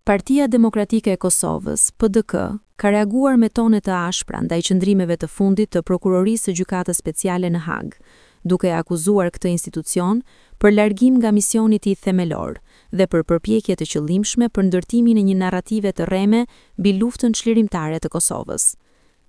Partia Demokratike e Kosovës, PDK, ka reaguar me tone të ashpra ndaj qëndrimeve të fundit të Prokurorisë së Gjykatës Speciale në Hagë, duke e akuzuar këtë institucion për largim nga misioni i tij themelor dhe për përpjekje të qëllimshme për ndërtimin e një narrative të rreme mbi luftën çlirimtare të Kosovës.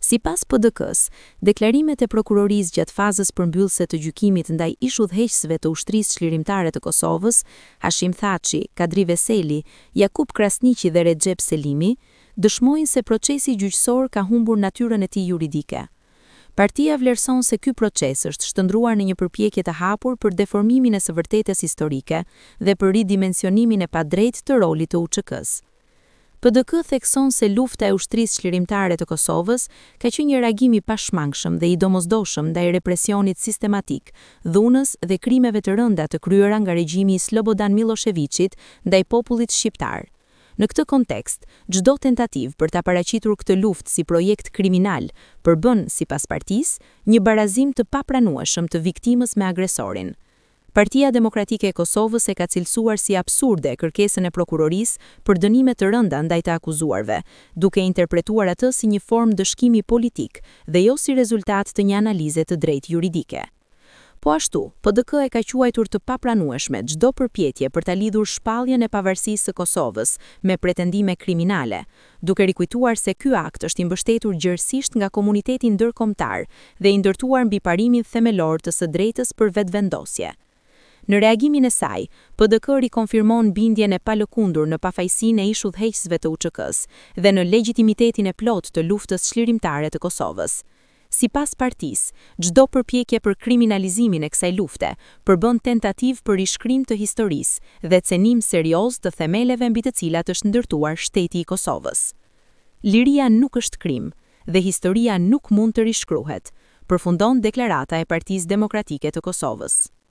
Sipas PDK-së, deklarimet e Prokurorisë gjatë fazës përmbyllëse të gjykimit ndaj ish-udhëheqësve të Ushtrisë Çlirimtare të Kosovës, Hashim Thaçi, Kadri Veseli, Jakup Krasniqi dhe Rexhep Selimi, dëshmojnë se procesi gjyqësor ka humbur natyrën e tij juridike. Partia vlerëson se ky proces është shndërruar në një përpjekje të hapur për deformimin e së vërtetës historike dhe për ridimensionimin e padrejtë të rolit të UÇK-së. PDK thekson se lufta e Ushtrisë Çlirimtare të Kosovës ka qenë një reagim i pashmangshëm dhe i domosdoshëm ndaj represionit sistematik, dhunës dhe krimeve të rënda të kryera nga regjimi i Slobodan Millosheviqit ndaj popullit shqiptar. Në këtë kontekst, çdo tentativë për ta paraqitur këtë luftë si projekt kriminal përbën, sipas partisë, një barazim të papranueshëm të viktimës me agresorin. Partia Demokratike e Kosovës e ka cilësuar si absurde kërkesën e prokurorisë për dënime të rënda ndaj të akuzuarve, duke e interpretuar atë si një formë ndëshkimi politik dhe jo si rezultat të një analize të drejtë juridike. Po ashtu, PDK e ka quajtur të papranueshme çdo përpjekje për ta lidhur shpalljen e pavarësisë së Kosovës me pretendime kriminale, duke rikujtuar se ky akt është i mbështetur gjerësisht nga komuniteti ndërkombëtar dhe i ndërtuar mbi parimin themelor të së drejtës për vetëvendosje. Në reagimin e saj, PDK rikonfirmon bindjen e palëkundur në pafajësinë e ish-udhëheqësve të UÇK-së dhe në legjitimitetin e plotë të luftës çlirimtare të Kosovës. Sipas partisë, çdo përpjekje për kriminalizimin e kësaj lufte përbën tentativë për rishkrim të historisë dhe cenim serioz të themeleve mbi të cilat është ndërtuar shteti i Kosovës. Liria nuk është krim dhe historia nuk mund të rishkruhet, përfundon deklarata e Partisë Demokratike të Kosovës.